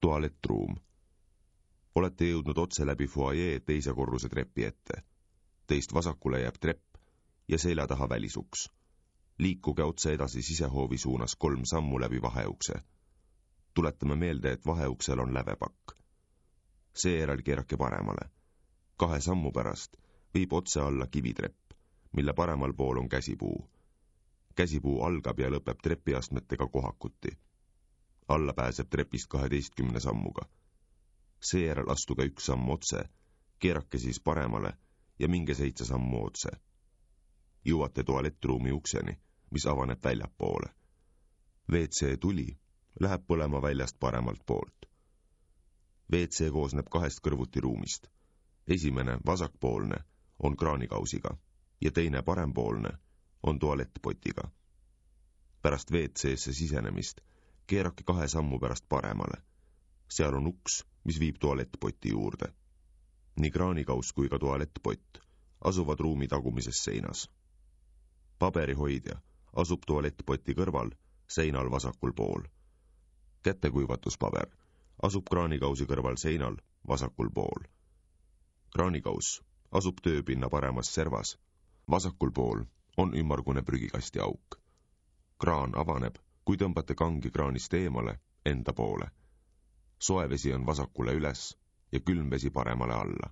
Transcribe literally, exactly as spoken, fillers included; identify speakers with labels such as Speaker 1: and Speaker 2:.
Speaker 1: Tualettruum. Olete jõudnud otse läbi fuajee teise korruse trepi ette. Teist vasakule jääb trepp ja selja taha välisuks. Liikuge otse edasi sisehoovi suunas kolm sammu läbi vaheukse. Tuletame meelde, et vaheuksel on lävepakk. Seejärel keerake paremale. Kahe sammu pärast viib otse alla kivitrepp, mille paremal pool on käsipuu. Käsipuu algab ja lõpeb trepiastmetega kohakuti. Alla pääseb trepist kaheteistkümne sammuga. Seejärel astuge üks samm otse, keerake siis paremale ja minge seitse sammu otse. Jõuate tualettruumi ukseni, mis avaneb väljapoole. V C tuli läheb põlema väljast paremalt poolt. V C koosneb kahest kõrvuti ruumist. Esimene, vasakpoolne, on kraanikausiga ja teine, parempoolne, on tualettpotiga. Pärast V C-sse sisenemist keerake kahe sammu pärast paremale. Seal on uks, mis viib tualettpoti juurde. Nii kraanikaus kui ka tualettpott asuvad ruumi tagumises seinas. Paberihoidja asub tualettpoti kõrval, seinal vasakul pool. Kätekuivatuspaber asub kraanikausi kõrval seinal, vasakul pool. Kraanikaus asub tööpinna paremas servas, vasakul pool on ümmargune prügikasti auk. Kraan avaneb, kui tõmbate kangi kraanist eemale, enda poole. Soe vesi on vasakule üles ja külm vesi paremale alla.